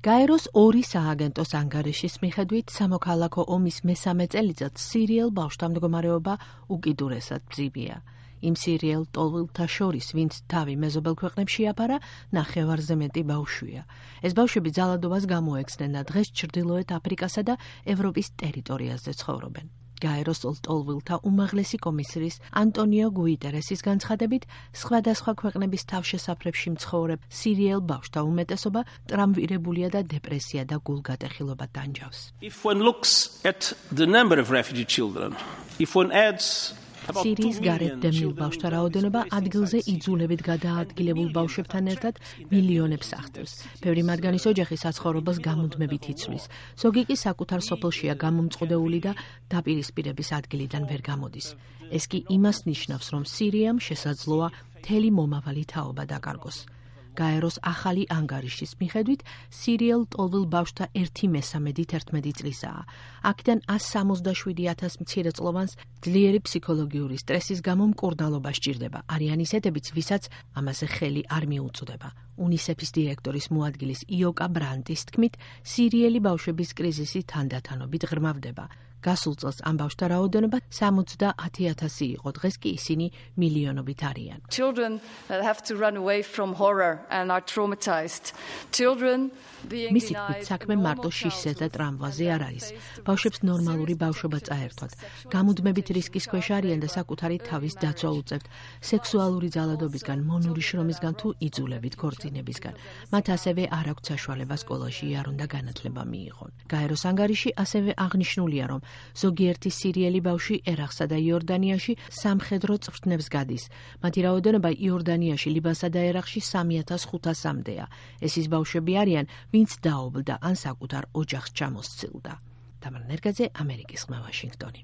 გაეროს 2 სააგენტოს ანგარიშის მიხედვით სამოქალაქო ომის მესამე წელიწადს სირიელ ბავშვთა მდგომარეობა უკიდურესად მძიმეა. იმ სირიელ ტოლვილთა შორის, ვინც თავი მეზობელ ქვეყნებში აფარა, ნახევარზე მეტი ბავშვია. ეს ბავშვები ძალადობას გამოექცნენ და დღეს ჩრდილოეთ აფრიკასა და ევროპის ტერიტორიაზე ცხოვრობენ. გაეროს ტოლვილთა უმაღლესი კომისრის ანტონიო გუიტერესის განცხადებით, სხვადასხვა ქვეყნების თავშესაფრებში მცხოვრებ სირიელ ბავშვთა უმეტესობა ტრამვირებულია და დეპრესია და გულგატეხილობა ტანჯავს. სირიის გარეთ დევნილ ბავშვთა რაოდენობა ადგილზე იძულებით გადაადგილებულ ბავშვებთან ერთად მილიონებს აღწევს. ბევრი მათგანის ოჯახი საცხოვრებელს გამუდმებით იცვლის. ზოგი კი საკუთარ სოფელშია გამომწყდეული და დაპირისპირების ადგილიდან ვერ გამოდის. ეს კი იმას ნიშნავს, რომ სირიამ შესაძლოა მთელი მომავალი თაობა დაკარგოს. გაეროს ახალი ანგარიშის მიხედვით სირიელ ტოლვილ ბავშვთა 1/3 11 წლისაა. აქედან 167,000 მცირეწლოვანს ძლიერი ფსიქოლოგიური სტრესის გამო მკურნალობა სჭირდება. არიან ისეთებიც, ვისაც ამაზე ხელი არ მიუწვდება. UNICEF-ის დირექტორის მოადგილის იოკა ბრანტის თქმით, სირიელი ბავშვების კრიზისი თანდათანობით ღრმავდება. გასულ წელს ამ ბავშვთა რაოდენობა 70,000 იყო, დღეს კი ისინი მილიონობით არიან. მისი თქმით, საქმე მარტო შიშზე და ტრამვაზე არ არის. ბავშვებს ნორმალური ბავშვობა წაერთვათ. გამუდმებით რისკის ქვეშ არიან და საკუთარი თავის დაცვა უწევთ სექსუალური ძალადობისგან, მონური შრომისგან თუ იძულებით ქორწინებისგან. მათ ასევე არ აქვთ საშუალება სკოლაში არ უნდა განათლება მიიღონ. გაეროს ანგარიში ასევე აღნიშნულია, რომ ზოგიერთი სირიელი ბავშვი ერაყსა და იორდანიაში სამხედრო წვრთნებს გადის. მათი რაოდენობა იორდანიაში, ლიბანსა და ერაყში 3,500-მდეა. ეს ის ბავშვები არიან, ვინც დაობლდა ან საკუთარ ოჯახს ჩამოსცილდა. თამარ ნერგაძე, ამერიკის ხმა, ვაშინგტონი.